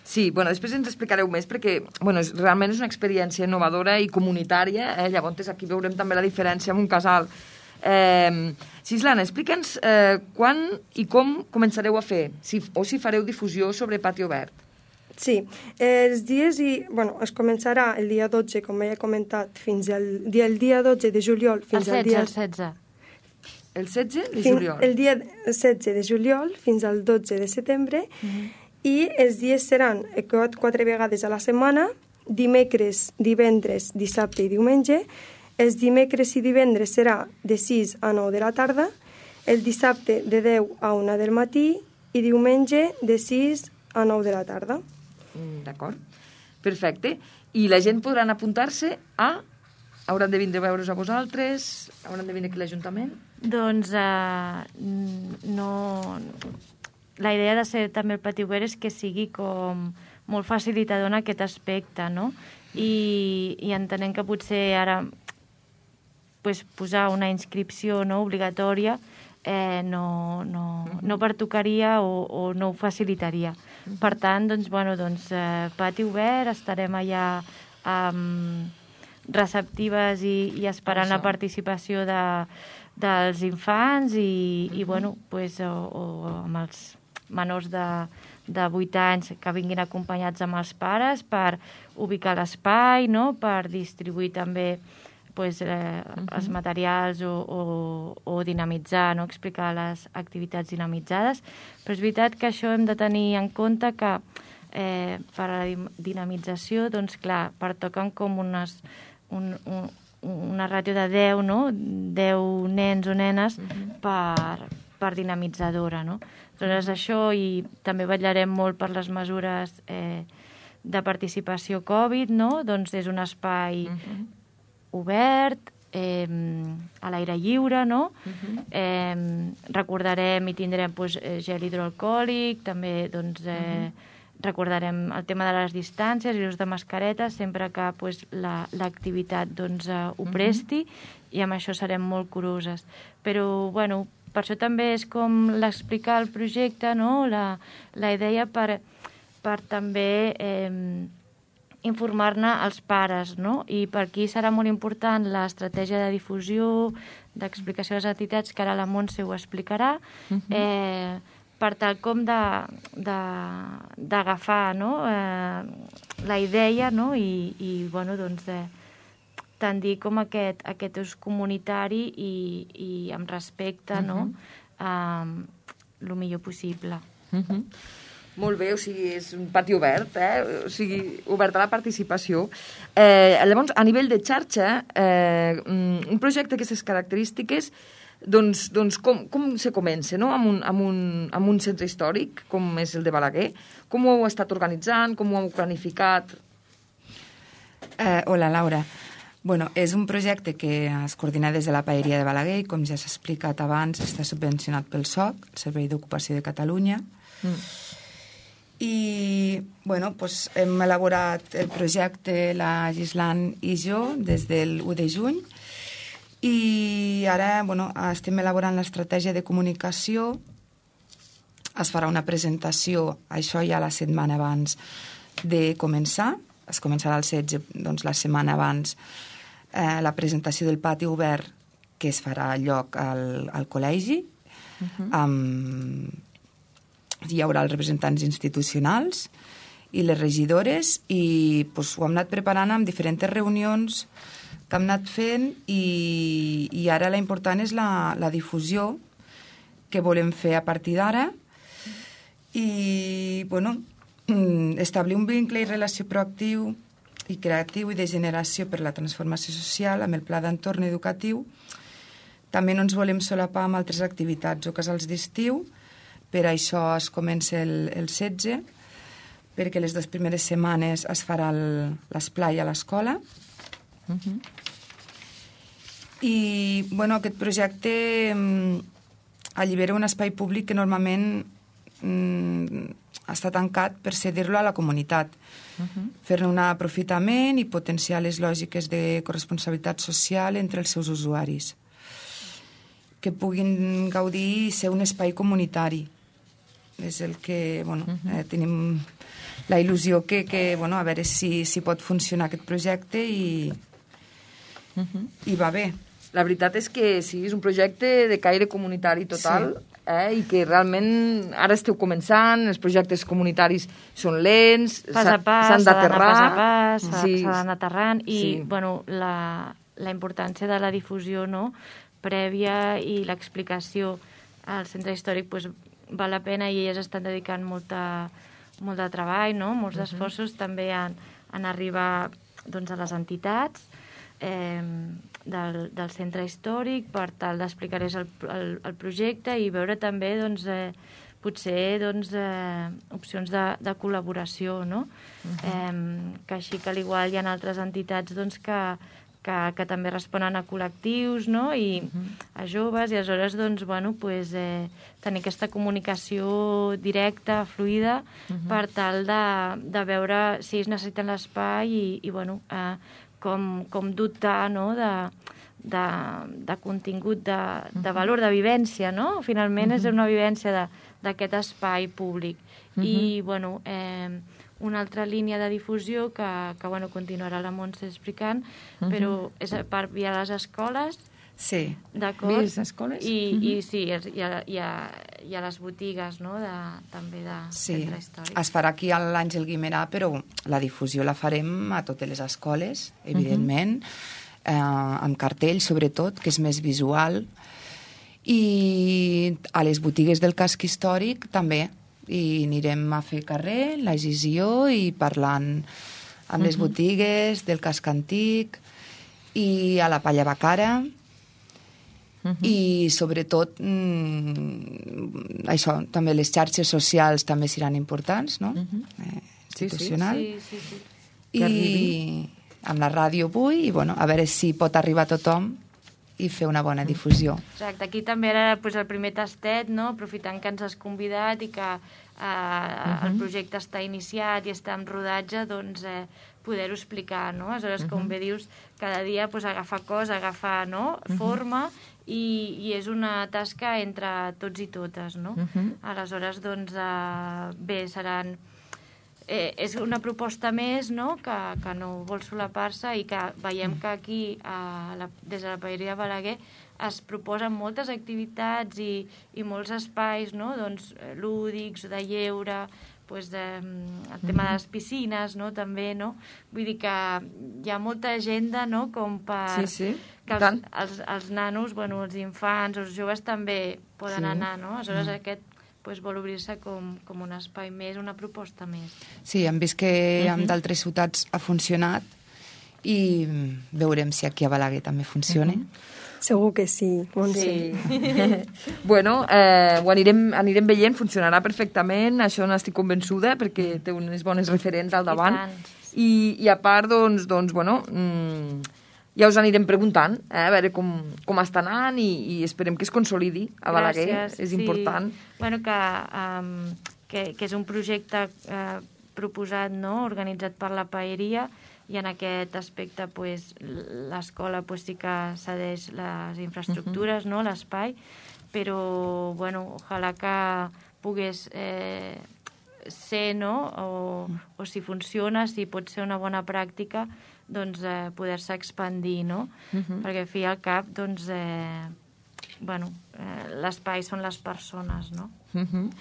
Sí, bueno, després ens explicareu més perquè bueno, és, realment és una experiència innovadora i comunitària, eh? Llavors aquí veurem també la diferència amb un casal. Eh, Sislana, explica'ns eh, quan i com començareu a fer, si, o si fareu difusió sobre Pati Obert. Sí, eh, els dies i... Bueno, es començarà el dia dotze, com ja he comentat, fins al dia, el dia dotze de juliol fins el setze, al dia... El setze, el setze de fin, juliol. El dia setze de juliol fins al dotze de setembre, mm-hmm. i els dies seran quatre vegades a la setmana, dimecres, divendres, dissabte i diumenge. Els dimecres i divendres serà de sis a nou de la tarda, el dissabte de deu a una del matí i diumenge de sis a nou de la tarda. D'acord, perfecte. I la gent podran apuntar-se a... Hauran de vindre a veure's a vosaltres? Hauran de vindre aquí a l'Ajuntament? Doncs uh, no... La idea de ser també el Pati Obert és que sigui com molt facilitador en aquest aspecte, no? I, i entenem que potser ara pues, posar una inscripció no, obligatòria eh, no, no, no pertocaria o, o no ho facilitaria. Per tant, doncs, bueno, doncs, eh, Pati Obert, estarem allà um, receptives i, i esperant la participació de, dels infants i, i bueno, pues, o, o amb els menors de, de vuit anys que vinguin acompanyats amb els pares per ubicar l'espai, no? Per distribuir també pues, eh, uh-huh. els materials o, o, o dinamitzar, no? Explicar les activitats dinamitzades. Però és veritat que això hem de tenir en compte que eh, per a la dinamització, doncs clar, pertoquen com unes, un, un, una ràtio de deu, no? deu nens o nenes uh-huh. per, per dinamitzadora, no? Doncs això, i també vetllarem molt per les mesures eh, de participació Covid, no? Doncs és un espai uh-huh. obert, eh, a l'aire lliure, no? Uh-huh. eh, recordarem i tindrem pues, gel hidroalcohòlic, també doncs, eh, uh-huh. recordarem el tema de les distàncies i l'ús de mascaretes sempre que pues, la, l'activitat doncs, eh, ho presti uh-huh. i amb això serem molt curoses. Però, bueno, per això també és com l'explicar el projecte, no? la, la idea per, per també eh, informar-ne als pares, no? I per aquí serà molt important l'estratègia de difusió, d'explicació de les entitats, que ara la Montse ho explicarà, uh-huh. eh, per tal com d'agafar no? eh, la idea, no? I, i bueno, doncs, eh, tendir com aquest, aquest ús comunitari i, i amb respecte, uh-huh. no? Um, el millor possible. Uh-huh. Molt bé, o sigui, és un pati obert, eh? O sigui, obert a la participació. Eh, llavors, a nivell de xarxa, eh, un projecte d'aquestes característiques Doncs, doncs com, com se comença, no?, amb un, amb, un, amb un centre històric com és el de Balaguer? Com ho heu estat organitzant? Com ho heu planificat? Eh, hola, Laura. Bueno, és un projecte que es coordina des de la Paeria de Balaguer i, com ja s'ha explicat abans, està subvencionat pel S O C, el Servei d'Ocupació de Catalunya. Mm. I, bueno, pues, hem elaborat el projecte, la Gislan i jo, des del u de juny, i ara, bueno, estem elaborant l'estratègia de comunicació. Es farà una presentació, això ja la setmana abans de començar. Es començarà el setze, doncs la setmana abans, eh, la presentació del pati obert que es farà lloc al, al col·legi. Uh-huh. Amb, hi haurà els representants institucionals i les regidores i pues, ho hem anat preparant amb diferents reunions que hem anat fent i, i ara la important és la, la difusió que volem fer a partir d'ara i, bueno, establir un vincle i relació proactiu i creatiu i de generació per la transformació social amb el pla d'entorn educatiu. També no ens volem solapar amb altres activitats o casals d'estiu, per això es comença el, el setze, perquè les dues primeres setmanes es farà l'esplai a l'escola. Uh-huh. I, bueno, aquest projecte mm, allibera un espai públic que normalment mm, està tancat per cedir-lo a la comunitat, uh-huh. fer-ne un aprofitament i potenciar les lògiques de corresponsabilitat social entre els seus usuaris, que puguin gaudir i ser un espai comunitari. És el que, bueno, uh-huh. eh, tenim la il·lusió que, que bueno, a veure si, si pot funcionar aquest projecte i, uh-huh. i va bé. La veritat és que sí, és un projecte de caire comunitari total, sí. eh, i que realment ara esteu començant, els projectes comunitaris són lents, pas a pas, s'han d'aterrar. Pas a pas, s'ha sí. d'anar aterrant, i sí. bueno, la, la importància de la difusió, no?, prèvia i l'explicació al centre històric pues, val la pena i elles estan dedicant molta, molt de treball, no?, molts uh-huh. esforços també en, en arribar doncs, a les entitats eh, del, del centre històric per tal d'explicar-les el, el, el projecte i veure també doncs, eh, potser doncs, eh, opcions de, de col·laboració, no? Uh-huh. eh, que així que al igual hi ha altres entitats doncs, que, que, que també responen a col·lectius, no? I uh-huh. a joves, i aleshores doncs, bueno, pues, eh, tenir aquesta comunicació directa, fluida, uh-huh. per tal de, de veure si es necessiten l'espai i, i bueno, eh, com, com dotar, no?, de, de, de contingut, de, de valor, de vivència, no? Finalment uh-huh. és una vivència d'aquest espai públic. Uh-huh. I, bueno, eh, una altra línia de difusió que, que bueno, continuarà la Montse explicant, uh-huh. però és per via les escoles. Sí. D'acord? Via les escoles? I, uh-huh. i sí, hi ha, hi ha, hi ha les botigues, no?, de, també de sí. centre històric. Es farà aquí a l'Àngel Guimerà, però la difusió la farem a totes les escoles, evidentment, uh-huh. eh, amb cartell, sobretot, que és més visual, i a les botigues del casc històric també, i anirem a fer carrer, la gisió, i parlant amb uh-huh. les botigues del casc antic, i a la Palla Bacara, uh-huh. i sobretot mm, això, també les xarxes socials també seran importants, no? Uh-huh. eh, institucional. Sí, sí, sí. I amb la ràdio avui, i bueno, a veure si pot arribar a tothom i fer una bona difusió. Exacte, aquí també era pues, el primer tastet, no?, aprofitant que ens has convidat i que eh, uh-huh. el projecte està iniciat i està en rodatge, doncs eh, poder-ho explicar, no? Aleshores, uh-huh. com bé dius, cada dia pues, agafar cos, agafar, no?, uh-huh. forma, i, i és una tasca entre tots i totes, no? Uh-huh. Aleshores, doncs, eh, bé, seran... Eh, és una proposta més, no?, que, que no vol solapar-se i que veiem que aquí, a la, des de la Paeria de Balaguer, es proposen moltes activitats i, i molts espais, no?, doncs, lúdics, de lleure, pues de, el tema de les piscines, no?, també, no? Vull dir que hi ha molta agenda, no?, com per... Sí, sí. Que els, els, els nanos, bueno, els infants, els joves també poden sí. anar, no? Aleshores, mm. aquest pues, vol obrir-se com, com un espai més, una proposta més. Sí, hem vist que uh-huh. en d'altres ciutats ha funcionat i veurem si aquí a Balaguer també funciona. Uh-huh. Segur que sí, Montse. Sí. Bueno, eh, ho anirem, anirem veient, funcionarà perfectament, això n'estic convençuda, perquè té unes bones referents al davant. I, I a part, doncs, doncs bueno, mmm, ja us anirem preguntant, eh, a veure com, com està anant i, i esperem que es consolidi a Balaguer. Gràcies, és sí. important. Bueno, que, um, que, que és un projecte uh, proposat, no?, organitzat per la Paeria, i en aquest aspecte pues, l'escola pues, sí que cedeix les infraestructures, uh-huh. no?, l'espai, però bueno, ojalà que pogués eh, ser, no?, o, o si funciona, si pot ser una bona pràctica, doncs eh, poder-se expandir, no? Uh-huh. Perquè al fi i al cap, doncs, eh, bueno, eh, l'espai són les persones, no? Uh-huh.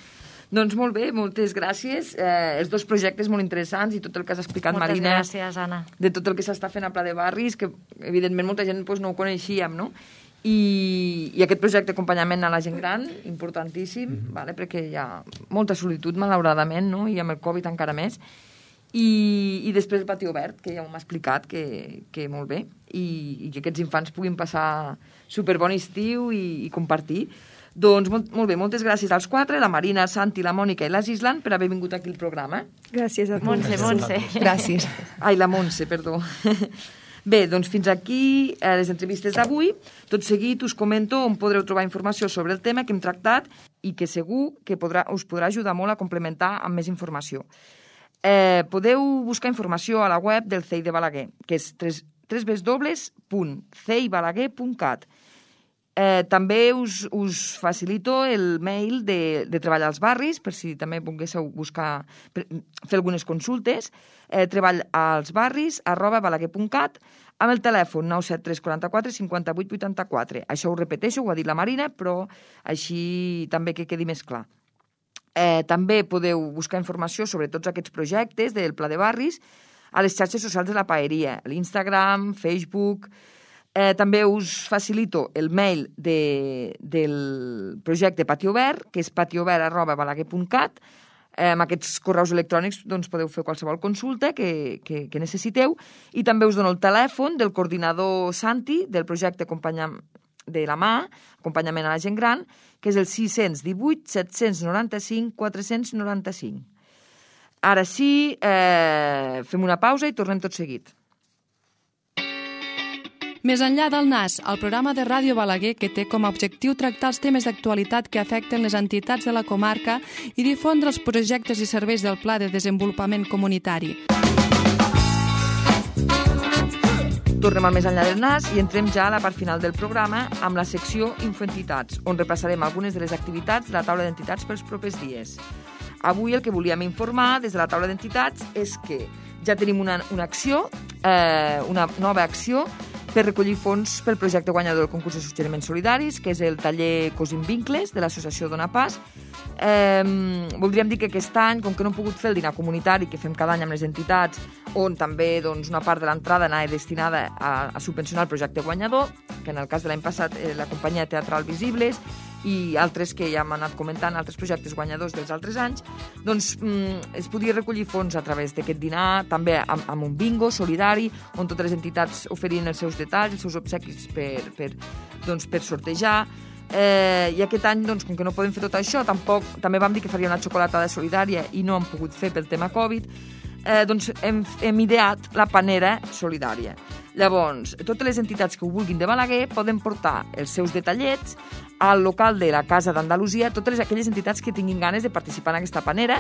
Doncs molt bé, moltes gràcies. Eh, els dos projectes molt interessants i tot el que has explicat, moltes Marina. Moltes gràcies, Anna. De tot el que s'està fent a Pla de Barris, que evidentment molta gent doncs, no ho coneixíem, no? I, i aquest projecte d'acompanyament a la gent gran, importantíssim, mm-hmm. vale? Perquè hi ha molta solitud, malauradament, no? I amb el Covid encara més. I, i després el pati obert, que ja m'ha explicat que, que molt bé, i, i que aquests infants puguin passar superbon estiu i, i compartir. Doncs molt, molt bé, moltes gràcies als quatre, la Marina, Santi, la Mònica i la Gislan, per haver vingut aquí al programa. Gràcies a tu. Montse, Montse. Gràcies. Ai, la Montse, perdó. Bé, doncs fins aquí eh, les entrevistes d'avui. Tot seguit us comento on podreu trobar informació sobre el tema que hem tractat i que segur que podrà, us podrà ajudar molt a complementar amb més informació. Eh, podeu buscar informació a la web del C E I de Balaguer, que és w w w punt c e i balaguer punt cat. Eh, també us, us facilito el mail de, de Treball als Barris, per si també volguéssiu buscar, per, fer algunes consultes, eh, treball als barris arroba balaguer punt cat, amb el telèfon nou set tres quatre quatre cinquanta vuit vuitanta quatre. Això ho repeteixo, ho ha dit la Marina, però així també que quedi més clar. Eh, també podeu buscar informació sobre tots aquests projectes del Pla de Barris a les xarxes socials de la Paeria, l'Instagram, Facebook. Eh, també us facilito el mail de, del projecte Pati Obert, que és patiobert arroba balaguer punt cat. Eh, amb aquests correus electrònics doncs, podeu fer qualsevol consulta que, que, que necessiteu. I també us dono el telèfon del coordinador Santi del projecte Acompanyament de la mà, Acompanyament a la gent gran, que és el sis cents divuit set cents noranta-cinc quatre cents noranta-cinc. Ara sí, eh, fem una pausa i tornem tot seguit. Més enllà del N A S, el programa de Ràdio Balaguer que té com a objectiu tractar els temes d'actualitat que afecten les entitats de la comarca i difondre els projectes i serveis del Pla de Desenvolupament Comunitari. Tornem al Més enllà del N A S i entrem ja a la part final del programa amb la secció Infoentitats, on repassarem algunes de les activitats de la taula d'entitats pels propers dies. Avui el que volíem informar des de la taula d'entitats és que ja tenim una, una acció, eh, una nova acció, per recollir fons pel projecte guanyador del concurs de suggeriments solidaris, que és el taller Cosim Vincles, de l'associació Dona Pas. Eh, voldríem dir que aquest any, com que no hem pogut fer el dinar comunitari que fem cada any amb les entitats, on també doncs, una part de l'entrada anava destinada a, a subvencionar el projecte guanyador, que en el cas de l'any passat eh, la companyia teatral Visibles, i altres que ja hem anat comentant, altres projectes guanyadors dels altres anys, doncs mm, es podia recollir fons a través d'aquest dinar, també amb, amb un bingo solidari, on totes les entitats oferien els seus detalls, els seus obsequis per, per, doncs, per sortejar. Eh, I aquest any, doncs, com que no podem fer tot això, tampoc, també vam dir que faria una xocolatada solidària i no hem pogut fer pel tema Covid, eh, doncs hem, hem ideat la panera solidària. Llavors, totes les entitats que ho vulguin de Balaguer poden portar els seus detallets al local de la Casa d'Andalusia, totes aquelles entitats que tinguin ganes de participar en aquesta panera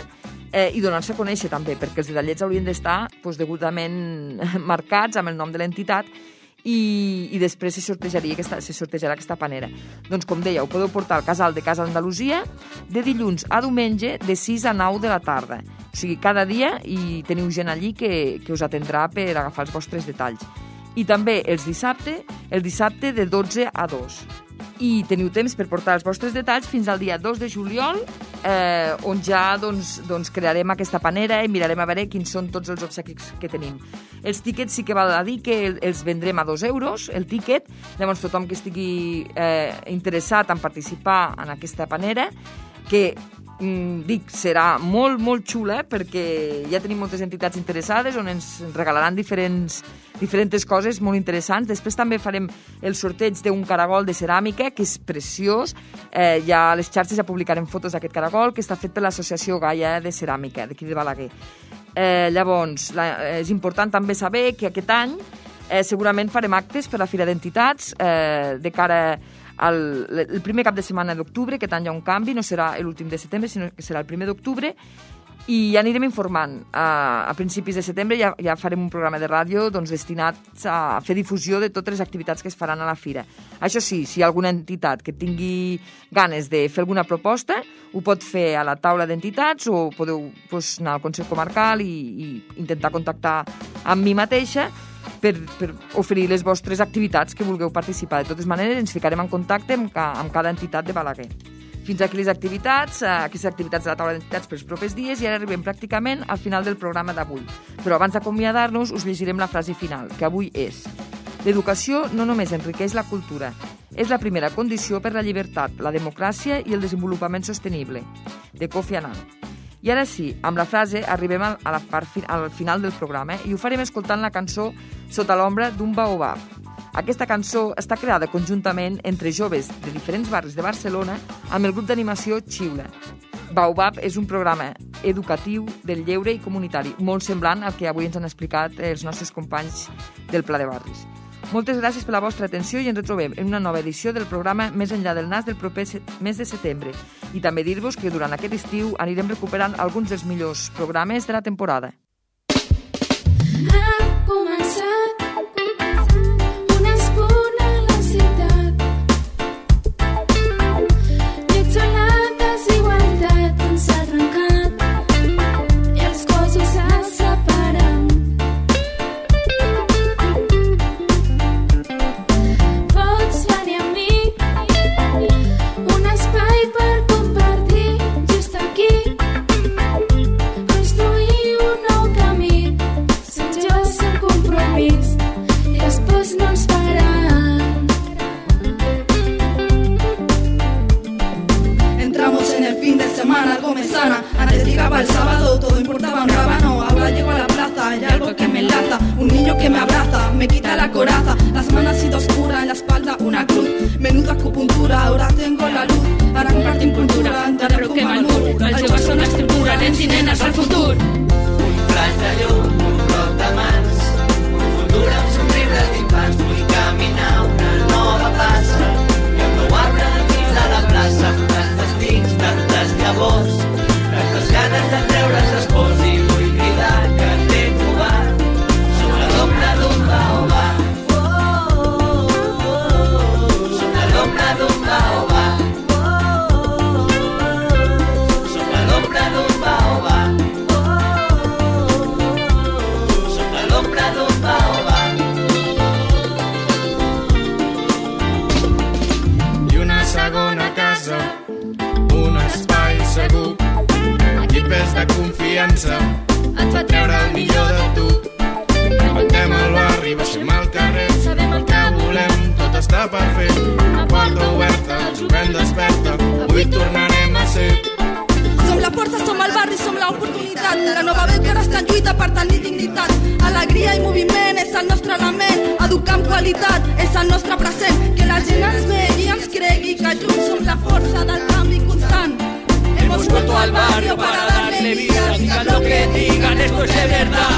eh, i donar-se a conèixer també, perquè els detallets haurien d'estar doncs, degudament marcats amb el nom de l'entitat i, i després se sortejaria aquesta, se sortejarà aquesta panera. Doncs, com deia, ho podeu portar al casal de Casa Andalusia de dilluns a diumenge de sis a nou de la tarda. O sigui, cada dia i teniu gent allí que, que us atendrà per agafar els vostres detalls. I també els dissabte, el dissabte de dotze a dos. I teniu temps per portar els vostres detalls fins al dia dos de juliol, eh, on ja doncs, doncs, crearem aquesta panera i mirarem a veure quins són tots els obsequis que tenim. Els tíquets sí que val a dir que els vendrem a dos euros, el tíquet. Llavors tothom que estigui eh, interessat en participar en aquesta panera, que mm, dic, serà molt, molt xula perquè ja tenim moltes entitats interessades on ens regalaran diferents, diferents coses molt interessants. Després també farem el sorteig d'un caragol de ceràmica, que és preciós. Eh, ja a les xarxes ja publicarem fotos d'aquest caragol, que està fet per l'Associació Gaia de Ceràmica, d'aquí de Balaguer. Eh, llavors, la, és important també saber que aquest any eh, segurament farem actes per a la Fira d'Entitats eh, de cara al el primer cap de setmana d'octubre. Aquest any hi ha un canvi, no serà l'últim de setembre, sinó que serà el primer d'octubre, i ja anirem informant. A, a principis de setembre ja, ja farem un programa de ràdio doncs, destinat a fer difusió de totes les activitats que es faran a la Fira. Això sí, si hi ha alguna entitat que tingui ganes de fer alguna proposta, ho pot fer a la taula d'entitats o podeu doncs, anar al Consell Comarcal i, i intentar contactar amb mi mateixa per, per oferir les vostres activitats que vulgueu participar. De totes maneres, ens ficarem en contacte amb, ca, amb cada entitat de Balaguer. Fins aquí les activitats, aquestes activitats de la taula d'entitats pels propers dies, i ara arribem pràcticament al final del programa d'avui. Però abans d'acomiadar-nos us llegirem la frase final, que avui és: l'educació no només enriqueix la cultura, és la primera condició per la llibertat, la democràcia i el desenvolupament sostenible. De Kofi Annan. I ara sí, amb la frase arribem a la part fi, al final del programa, i ho farem escoltant la cançó Sota l'ombra d'un baobab. Aquesta cançó està creada conjuntament entre joves de diferents barris de Barcelona amb el grup d'animació Xiula. Baobab és un programa educatiu del lleure i comunitari, molt semblant al que avui ens han explicat els nostres companys del Pla de Barris. Moltes gràcies per la vostra atenció i ens retrobem en una nova edició del programa Més enllà del nas del proper mes de setembre. I també dir-vos que durant aquest estiu anirem recuperant alguns dels millors programes de la temporada. Ha començat un espunt a la ciutat. Ets on la desigualtat ens ha trencat i els cossos se separen. Pots venir amb mi, un espai per compartir just aquí, construir un nou camí, sense jo sense compromís, i després no ens faran. Entramos en el fin de semana, algo me sana. Antes llegaba el sábado, todo importaba un rábano. Ahora llego a la plaza, hay algo que me enlaza. Un niño que me abraza, me quita la coraza. La semana ha sido oscura, en la espalda una cruz. Menuda acupuntura, ahora tengo la luz. Ara compartim cultura, enderroquem el mur. Els joves són l'estructura, nens i nenes al futur. Un flaix de llum, un bloc de mans, un futur amb somriures d'infants. Vull caminar una nova plaça i el meu arbre dins de la plaça. Tants destins, tantes llavors, tantes ganes de treure's espòs, i vull cridar que t'he trobat sobre l'ombra d'un baobab. Sobre l'ombra d'un baobab. Sobre l'ombra d'un baobab. Sobre l'ombra d'un baobab. I una segona casa, un espai segur, equipes de confiança, Et fa treure el millor de tu. Rebentem el barri, baixem al carrer, sabem el que volem, tot està per fer. La porta oberta, el jovent desperta, avui tornarem a ser. Som la força, som el barri, som l'oportunitat. La nova veu que ara està en lluita per tenir dignitat. Alegria i moviment és el nostre element. Educar amb qualitat és el nostre present. Que la gent ens vegi i ens cregui que junts som la força del canvi constant. Hemos vuelto al barrio para darle vida, digan lo que digan, esto es de verdad.